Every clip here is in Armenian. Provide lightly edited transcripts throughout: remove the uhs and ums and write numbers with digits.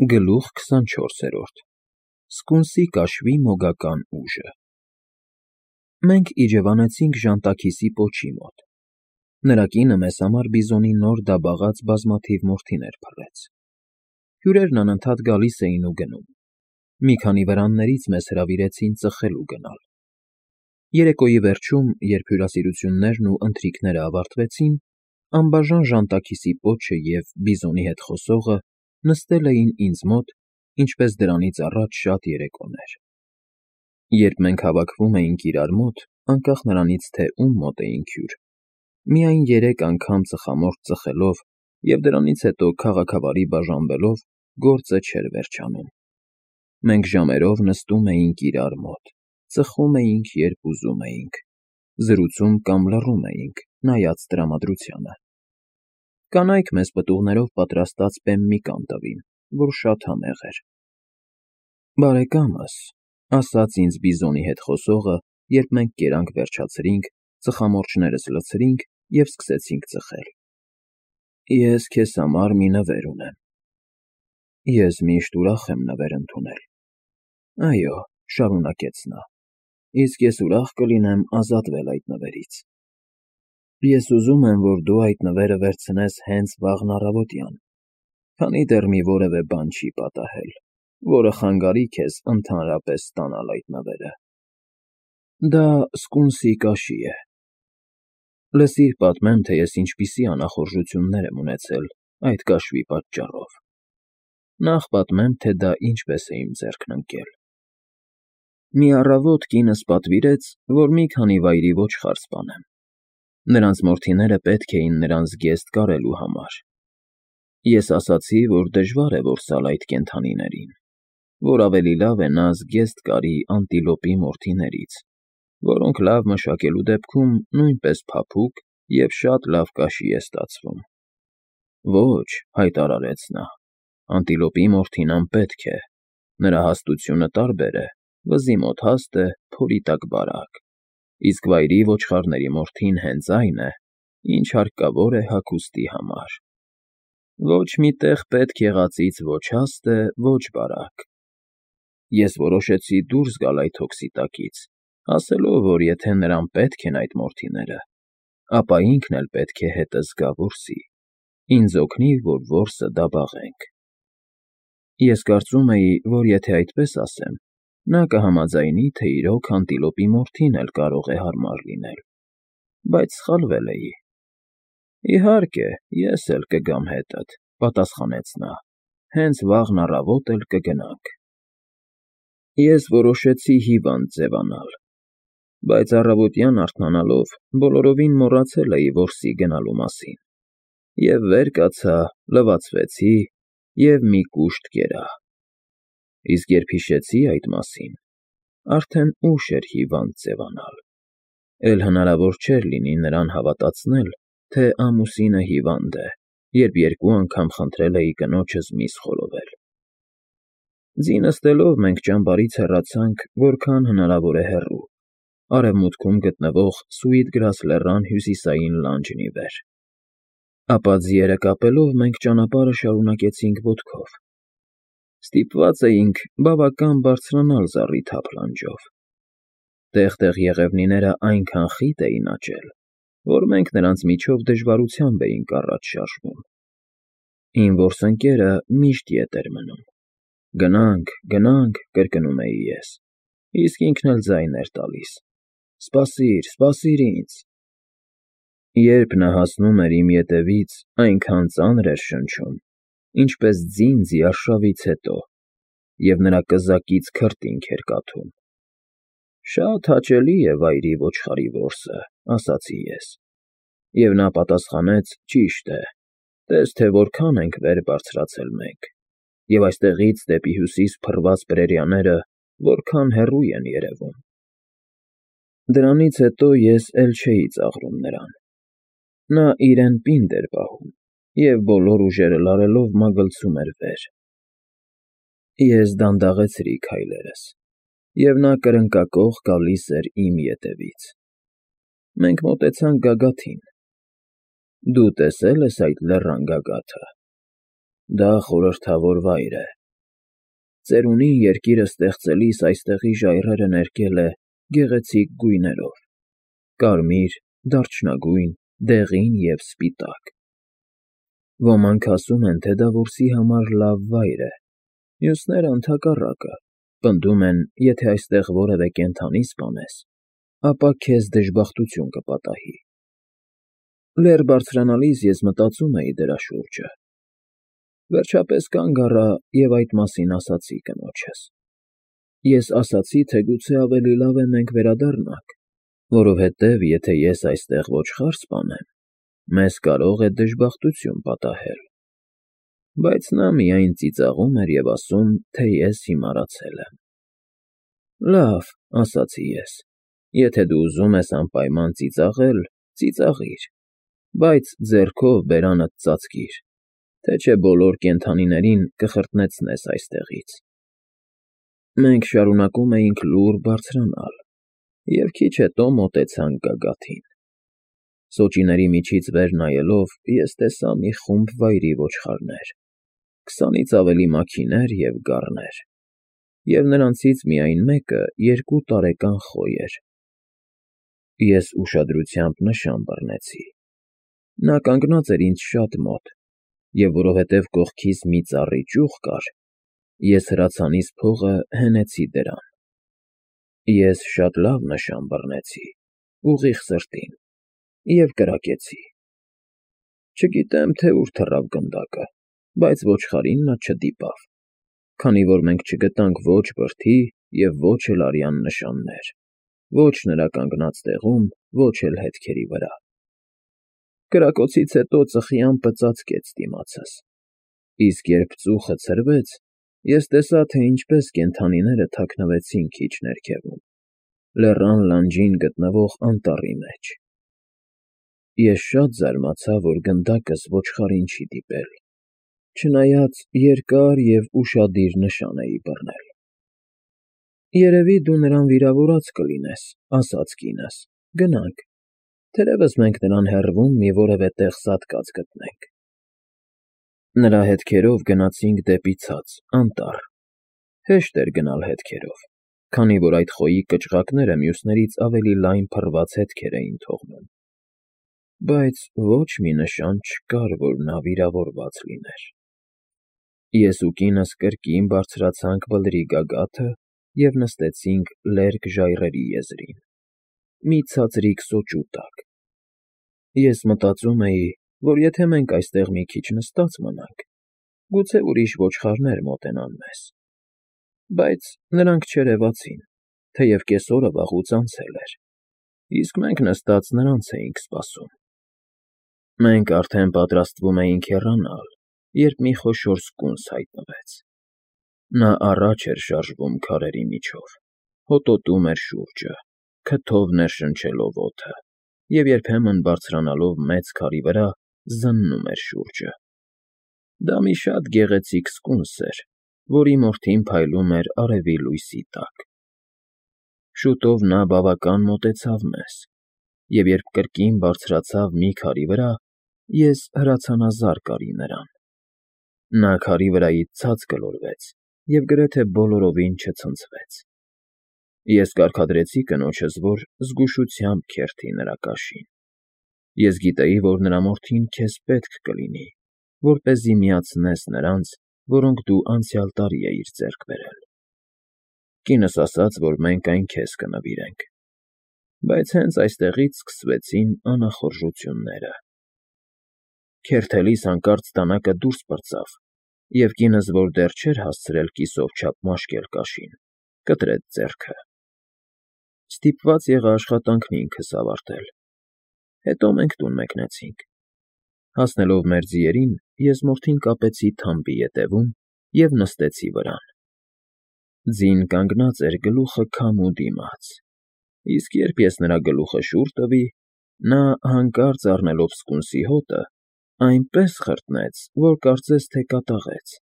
Գլուխ 24 Սկունսի կաշվի մոգական ուժը Մենք իջևանեցինք Ժանտաքիսի պոչի մոտ։ Նրա կինը մեզ համար բիզոնի նոր դաբաղած բազմաթիվ մորթիներ փռեց։ Հյուրերն անընդհատ գալիս էին ու գնում։ Մի քանի վրաններից մեզ հրավիրեցին ծխելու գնալ։ Երեկոյի վերջում, երբ հյուրասիրություններն ու ընթրիքները ավարտվեցին, անբաժան Ժանտաքիսի պոչը և բիզոնի հետ խոսողը նստել էին ինձ մոտ, ինչպես դրանից առաջ շատ երեկոներ։ Երբ մենք հավաքվում էինք իրար մոտ, անկախ նրանից, թե ում մոտ էինք հյուր, միայն 3 անգամ ծխամորճ ծխելով և դրանից հետո քաղաքավարի բաժանվելով, գործը չէր վերջանում։ Մենք ժամերով նստում էինք իրար մոտ, ծխում էինք, երբ ուզում էինք, զրուցում կամ լռում էինք, նայած տրամադրությանը։ Կանայք մեզ պտուղներով պատրաստած պեմմիկան տվին, որ շատ համեղ էր։ Բարեկամս, ասաց ինձ բիզոնի հետ խոսողը, երբ մենք կերանք վերջացրինք, ծխամորճներս լցրինք և սկսեցինք ծխել։ Ես քեզ համար մի նվեր ունեմ։ Ես միշտ ուրախ եմ նվեր ընդունել։ Այո, շարունակեց նա, իսկ ես ուրախ կլինեմ ազատվել այդ նվերից։ Ես ուզում եմ, որ դու այդ նվերը վերցնես հենց վաղն առավոտյան, քանի դեռ մի որևէ բան չի պատահել, որը խանգարի քեզ ընդհանրապես ստանալ այդ նվերը։ Դա սկունսի կաշի է։ Լսիր պատմեմ, թե ես ինչպիսի անախորժություններ եմ ունեցել այդ կաշվի պատճառով։ Նախ պատմեմ, թե դա ինչպես է իմ ձեռքն ընկել։ Մի առավոտ կինս պատվիրեց, որ մի քանի վայրի ոչխար սպանեմ։ Նրանց մորթիները պետք էին նրան զգեստ կարելու համար։ Ես ասացի, որ դժվար է որսալ այդ կենդանիներին, որ ավելի լավ է նա զգեստ կարի անտիլոպի մորթիներից, որոնք լավ մշակելու դեպքում նույնպես փափուկ և շատ լավ կաշի է ստացվում։ Ոչ, հայտարարեց նա, անտիլոպի մորթին անպետք է, նրա հաստությունը տարբեր է, վզի մոտ հաստ է, փորի տակ բարակ, իսկ վայրի ոչխարների մորթին հենց այն է, ինչ հարկավոր է հագուստի համար։ Ոչ մի տեղ պետք եղածից ոչ հաստ է, ոչ բարակ։ Ես որոշեցի դուրս գալ այդ հոգսի տակից, ասելով, որ եթե նրան պետք են այդ մորթիները, ապա ինքն էլ պետք է հետը զգա որսի, ինձ օգնի, որ որսը դաբաղենք։ Ես կարծում էի, որ եթե այդպես ասեմ, նա կհամաձայնի, թե իրոք անտիլոպի մորթին էլ կարող է հարմար լինել, բայց սխալվել էի։ Իհարկե, ես էլ կգամ հետդ, պատասխանեց նա, հենց վաղն առավոտ էլ կգնանք։ Ես որոշեցի հիվանդ ձևանալ, բայց առավոտյան արթնանալով բոլորովին մոռացել էի որսի գնալու մասին, և վեր կացա, լվացվեցի և մի կուշտ կերա։ Իսկ երբ հիշեցի այդ մասին, արդեն ուշ էր հիվանդ ձևանալ, էլ հնարավոր չէր լինի նրան հավատացնել, թե ամուսինը հիվանդ է, երբ 2 անգամ խնդրել էի կնոջս միս խորովել։ Ձի նստելով մենք ճամբարից հեռացանք որքան հնարավոր է հեռու, արևմուտքում գտնվող Սուիթգրաս լեռան հյուսիսային լանջն ի վեր։ Ապա ձիերը կապելով մենք ճանապարհը շարունակեցինք ոտքով։ Ստիպված էինք բավական բարձրանալ զառիթափ լանջով։ Տեղ-տեղ եղևնիները այնքան խիտ էին աճել, որ մենք նրանց միջով դժվարությամբ էինք առաջ շարժվում։ Իմ որսընկերը միշտ ետ էր մնում։ Գնանք, գնանք, կրկնում էի ես, իսկ ինքն էլ ձայն էր տալիս. Սպասիր, սպասիր ինձ։ Երբ նա հասնում էր իմ ետևից, այնքան ծանր էր շնչում, ինչպես ձին ձիարշավից հետո, և նրա կզակից քրտինք էր կաթում։ Շատ հաճելի է վայրի ոչխարի որսը, ասացի ես, և նա պատասխանեց. ճիշտ է, տես թե որքան ենք վեր բարձրացել մենք, և այստեղից դեպի հյուսիս փռված պրերիաները որքան հեռու են երևում։ Դրանից հետո ես էլ չէի ծաղրում նրան։ Նա իրեն պինդ էր պահում և բոլոր ուժերը լարելով մագլցում էր վեր։ Ես դանդաղեցրի քայլերս, և նա կրնկակոխ գալիս էր իմ ետևից։ Մենք մոտեցանք գագաթին։ Դու տեսե՞լ ես այդ լեռան գագաթը։ Դա խորհրդավոր վայր է, Ծերունին երկիրը ստեղծելիս այստեղի ժայռերը ներկել է գեղեցիկ գույներով. կարմիր, դարչնագույն, դեղին և սպիտակ։ Ոմանք ասում են, թե դա որսի համար լավ վայր է, մյուսները ընդհակառակը, պնդում են, եթե այստեղ որևէ կենդանի սպանես, ապա քեզ դժբախտություն կպատահի։ Լեռ բարձրանալիս ես մտածում էի դրա շուրջը։ Վերջապես կանգ առա և այդ մասին ասացի կնոջս։ Ես ասացի, թե գուցե ավելի լավ է մենք վերադառնանք, որովհետև եթե ես այստեղ ոչխար սպանեմ, մեզ կարող է դժբախտություն պատահել։ Բայց նա միայն ծիծաղում էր և ասում, թե ես հիմարացել եմ։ Լավ, ասացի ես, եթե դու ուզում ես անպայման ծիծաղել, ծիծաղիր, բայց ձեռքով բերանդ ծածկիր, թե չէ բոլոր կենդանիներին կխրտնեցնես այստեղից։ Մենք շարունակում էինք լուռ բարձրանալ, և քիչ հետո մոտեցանք գագաթին։ Սոճիների միջից վեր նայելով, ես տեսա մի խումբ վայրի ոչխարներ, 20-ից ավելի մաքիներ և գառներ, և նրանցից միայն մեկը 2 տարեկան խոյ էր։ Ես ուշադրությամբ նշան բռնեցի։ Նա կանգնած էր ինձ շատ մոտ, և որովհետև կողքիս մի ծառի ճյուղ կար, ես հրացանիս փողը հենեցի դրան։ Ես շատ լավ նշան բռնեցի, ուղիղ սրտին, և կրակեցի։ Չգիտեմ, թե ուր թռավ գնդակը, բայց ոչխարին նա չդիպավ, քանի որ մենք չգտանք ոչ բրդի և ոչ էլ արյան նշաններ, ոչ նրա կանգնած տեղում, ոչ էլ հետքերի վրա։ Կրակոցից հետո ծխի ամպը ծածկեց դիմացս, իսկ երբ ծուխը ցրվեց, ես տեսա, թե ինչպես կենդանիները թաքնվեցին քիչ ներքևում, լեռան լանջին գտնվող անտառի մեջ։ Ես շատ զարմացա, որ գնդակս ոչխարին չի դիպել, չնայած երկար և ուշադիր նշան էի բռնել։ Երևի դու նրան վիրավորած կլինես, ասաց կինս, գնանք, թերևս մենք նրան հեռվում մի որևէ տեղ սատկած գտնենք։ Նրա հետքերով գնացինք դեպի ցած, անտառ։ Հեշտ էր գնալ հետքերով, քանի որ այդ խոյի կճղակները մյուսներից ավելի լայն փռված հետքեր էին թողնում։ Բայց ոչ մի նշան չկար, որ նա վիրավորված լիներ։ Ես ու կինս կրկին բարձրացանք բլրի գագաթը և նստեցինք լերկ ժայռերի եզրին, մի ցածրիկ սոճու տակ։ Ես մտածում էի, որ եթե մենք այստեղ մի քիչ նստած մնանք, գուցե ուրիշ ոչխարներ մոտենան մեզ։ Բայց նրանք չերևացին, թեև կեսօրը վաղուց անցել էր, իսկ մենք նստած նրանց էինք սպասում։ Մենք արդեն պատրաստվում էինք հեռանալ, երբ մի խոշոր սկունս հայտնվեց։ Նա առաջ էր շարժվում քարերի միջով, հոտոտում էր շուրջը, քթով ներշնչելով օդը և երբեմն բարձրանալով մեծ քարի վրա, զննում էր շուրջը։ Դա մի շատ գեղեցիկ սկունս էր, որի մորթին փայլում էր արևի լույսի տակ։ Շուտով նա բավական մոտեցավ մեզ, և երբ կրկին բարձրացավ մի քարի վրա, ես հրացանազար կարի նրան։ Նա քարի վրայից ցած գլորվեց և գրեթե բոլորովին չցնցվեց։ Ես կարգադրեցի կնոջս, որ զգուշությամբ քերթի նրա կաշին։ Ես գիտեի, որ նրա մորթին քեզ պետք կլինի, որպեսզի միացնես նրանց, որոնք դու անցյալ տարի էիր ձեռք բերել։ Կինս ասաց, որ մենք այն քեզ կնվիրենք։ Բայց հենց այստեղից սկսվեցին անախորժությունները։ Քերթելիս հանկարծ դանակը դուրս պրծավ, և կինս, որ դեռ չէր հասցրել կիսով չափ մաշկել կաշին, կտրեց ձեռքը։ Ստիպված եղա աշխատանքն ինքս ավարտել։ Հետո մենք տուն մեկնեցինք։ Հասնելով մեր ձիերին, ես մորթին կապեցի թամբի ետևում և նստեցի վրան։ Ձին կանգնած էր գլուխը քամու դիմաց, իսկ երբ ես նրա գլուխը շուռ տվի, նա, հանկարծ առնելով սկունսի հոտը, այնպես խրտնեց, որ կարծես թե կատաղեց։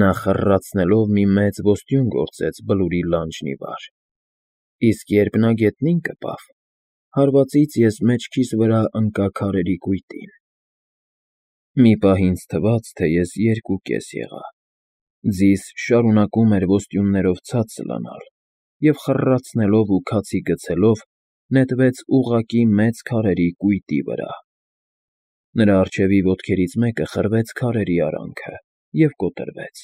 Նա խռռացնելով մի մեծ ոստյուն գործեց բլուրի լանջն ի վար, իսկ երբ նա գետնին կպավ, հարվածից ես մեջքիս վրա ընկա քարերի կույտին։ Մի պահ ինձ թվաց, թե ես երկուկես եղա, Ձիզ շարունակում էր ոստյուններով ցած սլանալ և խռռացնելով ու քացի գցելով նետվեց ուղղակի մեծ քարերի կույտի վրա։ Նրա առջևի ոտքերից մեկը խրվեց քարերի արանքը և կոտրվեց։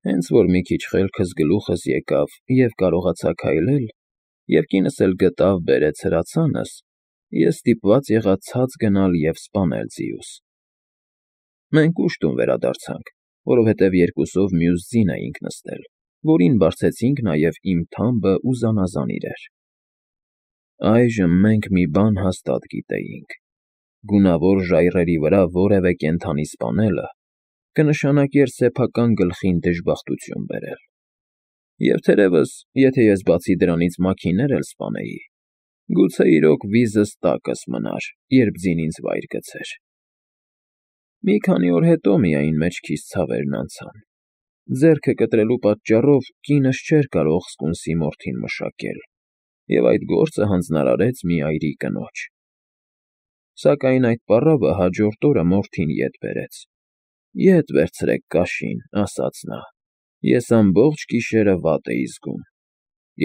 Հենց որ մի քիչ խելքս գլուխս եկավ և կարողացա քայլել, և կինս էլ գտավ բերեց հրացանս, ես ստիպված եղա ցած գնալ և սպանել ձիուս։ Մենք ուշ տուն վերադարձանք, որովհետև երկուսով մյուս ձին էինք նստել, որին բարձեցինք նաև իմ թամբը ու զանազան իրեր։ Այժմ մենք մի բան հաստատ գիտեինք. գունավոր ժայռերի վրա որևէ կենդանի սպանելը կնշանակեր սեփական գլխին դժբախտություն բերել։ Եվ թերևս, եթե ես բացի դրանից մաքիներ էլ սպանեի, գուցե իրոք վիզս տակս մնար, երբ ձին ինձ վայր գցեր։ Մի քանի օր հետո միայն մեջքիս ցավերն անցան։ Ձեռքը կտրելու պատճառով կինս չէր կարող սկունսի մորթին մշակել, և այդ գործը հանձնարարեց մի այրի կնոջ։ Սակայն այդ պառավը հաջորդ օրը մորթին ետ բերեց։ Ետ վերցրեք կաշին, ասաց նա, ես ամբողջ գիշերը վատ էի զգում։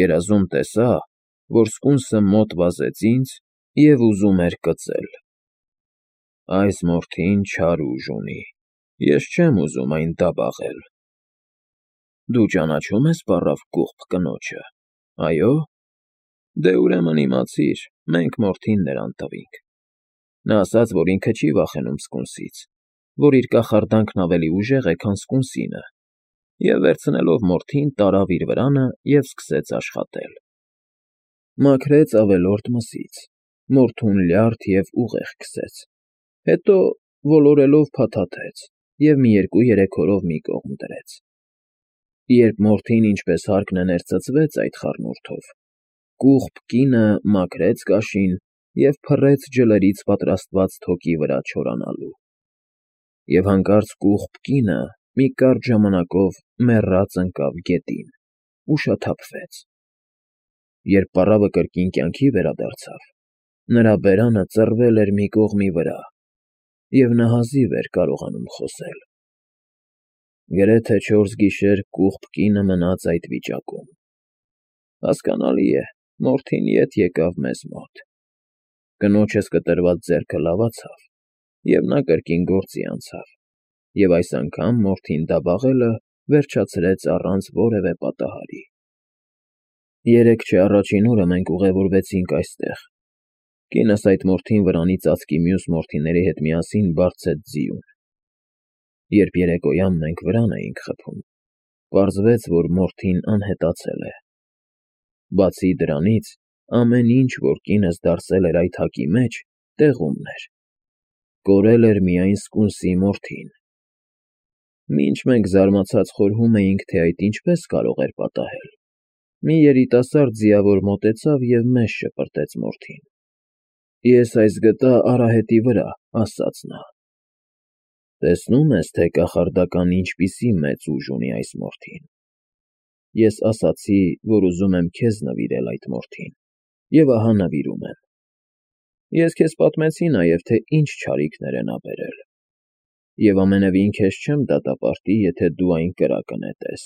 Երազում տեսա, որ սկունսը մոտ վազեց ինձ և ուզում էր կծել։ Այս մորթին չար ուժ ունի, ես չեմ ուզում այն դաբաղել։ Դու ճանաչո՞ւմ ես պառավ կուղբ կնոջը, այո՞։ Դե ուրեմն իմացիր, մենք մորթին նրան տվինք։ Նա ասաց, որ ինքը չի վախենում սկունսից, որ իր կախարդանքն ավելի ուժեղ է, քան սկունսինը, և վերցնելով մորթին տարավ իր վրանը և սկսեց աշխատել։ Մաքրեց ավելորդ մսից, մորթուն լյարդ և ուղեղ քսեց, հետո ոլորելով փաթաթեց և մի 2-3 օրով մի կողմ դրեց։ Երբ մորթին ինչպես հարկն է ներծծվեց այդ խառնուրդով, կուղբ կինը մաքրեց կաշին և փռեց ջլերից պատրաստված թոկի վրա չորանալու։ Եվ հանկարծ կուղբ կինը մի կարճ ժամանակով մեռած ընկավ գետին ու շաթափվեց։ Երբ պառավը կրկին կյանքի վերադարձավ, նրա բերանը ծռվել էր մի կողմի վրա, և նա հազիվ էր կարողանում խոսել։ Գրեթե 4 գիշեր կուղբ կինը մնաց այդ վիճակում։ Հասկանալի է, մորթին ետ եկավ մեզ մոտ։ Կնոջս կտրված ձեռքը լավացավ, և նա կրկին գործի անցավ, և այս անգամ մորթին դաբաղելը վերջացրեց առանց որևէ պատահարի։ 3 չէ առաջին օրը մենք ուղևորվեցինք այստեղ։ Կինս այդ մորթին վրանի ծածկի մյուս մորթիների հետ միասին բարձեց ձիուն։ Երբ երեկոյան մենք վրան էինք խփում, պարզվեց, որ մորթին անհետացել է։ Բացի դրանից, ամեն ինչ, որ կինս դարսել էր այդ հակի մեջ, տեղումն էր։ Կորել էր միայն սկունսի մորթին։ Մինչ մենք զարմացած խորհում էինք, թե այդ ինչպես կարող էր պատահել, մի երիտասարդ ձիավոր մոտեցավ և մեզ շպրտեց մորթին։ Ես այս գտա արահետի վրա, ասաց նա։ Տեսնում ես, թե կախարդական ինչպիսի մեծ ուժ ունի այս մորթին։ Ես ասացի, որ ուզում եմ քեզ նվիրել այդ մորթին, և ահա նվիրում եմ։ Ես քեզ պատմեցի նաև, թե ինչ չարիքներ է նա բերել, և ամենևին քեզ չեմ դատապարտի, եթե դու այն կրակը նետես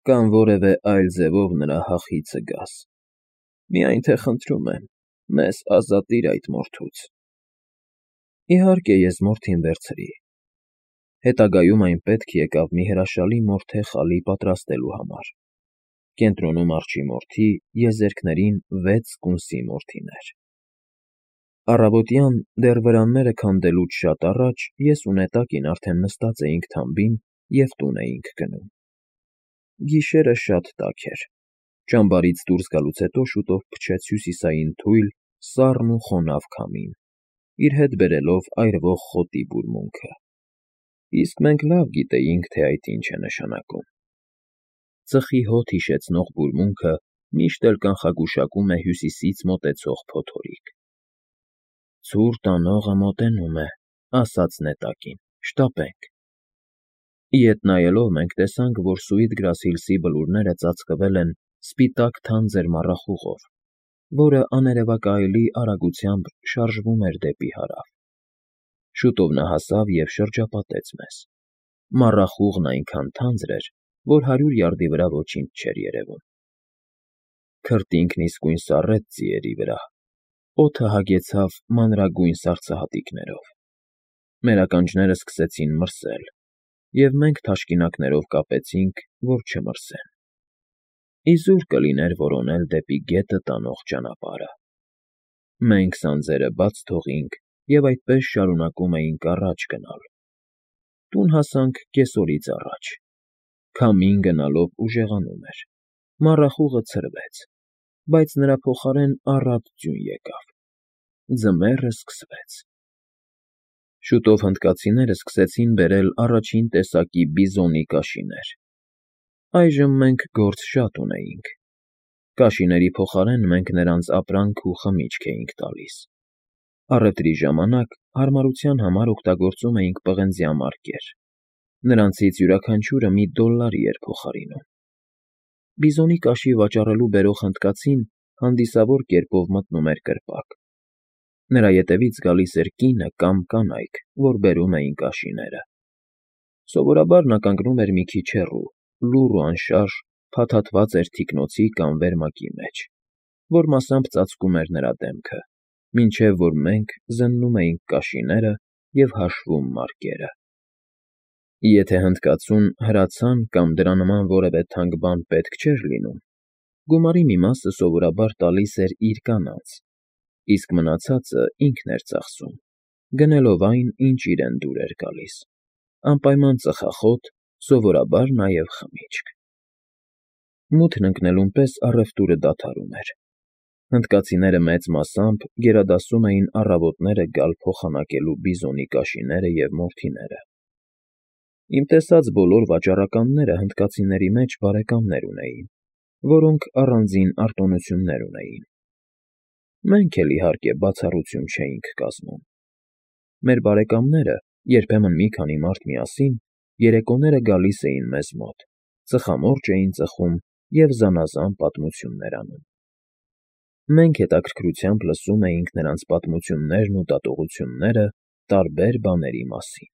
կամ որևէ այլ ձևով նրա հախիցը գաս։ Միայն թե խնդրում եմ, մեզ ազատիր այդ մորթուց։ Իհարկե, ես մորթին վերցրի։ Հետագայում այն պետք եկավ մի հրաշալի մորթե խալի պատրաստելու համար։ Կենտրոնում արջի մորթի, եզերքներին 6 սկունսի մորթիներ։ Առավոտյան, դեռ վրանները քանդելուց շատ առաջ, ես ու նետակին արդեն նստած էինք թամբին և տուն էինք գնում։ Գիշերը շատ տաք էր։ Ճամբարից դուրս գալուց հետո շուտով փչեց հյուսիսային թույլ, սառն ու խոնավ քամին, իր հետ բերելով այրվող խոտի բուրմունքը։ Իսկ մենք լավ գիտեինք, թե այդ ինչ է նշանակում։ Ծխի հոտ հիշեցնող բուրմունքը միշտ էլ կանխագուշակում է հյուսիսից մոտեցող փոթորիկ։ Ցուրտ անողը մոտենում է, ասաց նետակին, շտապենք։ Ետ նայելով մենք տեսանք, որ Սուիթ Գրասհիլսի բլուրները ծածկվել են սպիտակ թանձր մառախուղով, որը աներևակայելի արագությամբ շարժվում էր դեպի հարավ։ Շուտով նա հասավ և շրջապատեց մեզ։ Մառախուղն այնքան թանձր էր, որ 100 յարդի վրա ոչինչ չէր երևում։ Քրտինքն իսկույն սառեց ձիերի վրա, օդը հագեցավ մանրագույն սառցահատիկներով։ Մեր ականջները սկսեցին մրսել, և մենք թաշկինակներով կապեցինք, որ չմրսեն։ Իզուր կլիներ որոնել դեպի գետը տանող ճանապարհը։ Մենք սանձերը բաց թողինք և այդպես շարունակում էինք առաջ գնալ։ Տուն հասանք կեսօրից առաջ։ Քամին գնալով ուժեղանում էր։ Մառախուղը ցրվեց, բայց նրա փոխարեն առատ ձյուն եկավ։ Ձմեռը սկսվեց։ Շուտով հնդկացիները սկսեցին բերել առաջին տեսակի բիզոնի կաշիներ։ Այժմ մենք գործ շատ ունեինք։ Կաշիների փոխարեն մենք նրանց ապրանք ու խմիչք էինք տալիս։ Առևտրի ժամանակ հարմարության համար օգտագործում էինք պղնձյա մարկեր։ Նրանցից յուրաքանչյուրը $1 էր փոխարինում։ Բիզոնի կաշի վաճառելու բերող հնդկացին հանդիսավոր կերպով մտնում էր կրպակ։ Նրա ետևից գալիս էր կինը կամ կանայք, որ բերում էին կաշիները։ Սովորաբար նա կանգնում էր մի քիչ հեռու, լուռ ու անշարժ փաթաթված էր թիկնոցի կամ վերմակի մեջ, որ մասամբ ծածկում էր նրա դեմքը, մինչև որ մենք զննում էինք կաշիները և հաշվում մարկերը։ Եթե հնդկացուն հրացան կամ դրա նման որևէ թանկ բան պետք չէր լինում, գումարի մի մասը սովորաբար տալիս էր իր կանանց, իսկ մնացածը ինքն էր ծախսում, գնելով այն, ինչ իրեն դուր էր գալիս, անպայման ծխախոտ, սովորաբար նաև խմիչք։ Մութն ընկնելուն պես առևտուրը դադարում էր։ Հնդկացիները մեծ մասամբ գերադասում էին առավոտները գալ փոխանակելու բիզոնի կաշիները և մորթիները։ Իմ տեսած բոլոր վաճառականները հնդկացիների մեջ բարեկամներ ունեին, որոնք առանձին արտոնություններ ունեին։ Մենք էլ, իհարկե, բացառություն չէինք կազմում։ Մեր բարեկամները, երբեմն մի քանի մարդ միասին, երեկոները գալիս էին մեզ մոտ, ծխամորճ էին ծխում և զանազան պատմություններ անում։ Մենք հետաքրքրությամբ լսում էինք նրանց պատմություններն ու դատողությունները տարբեր բաների մասին։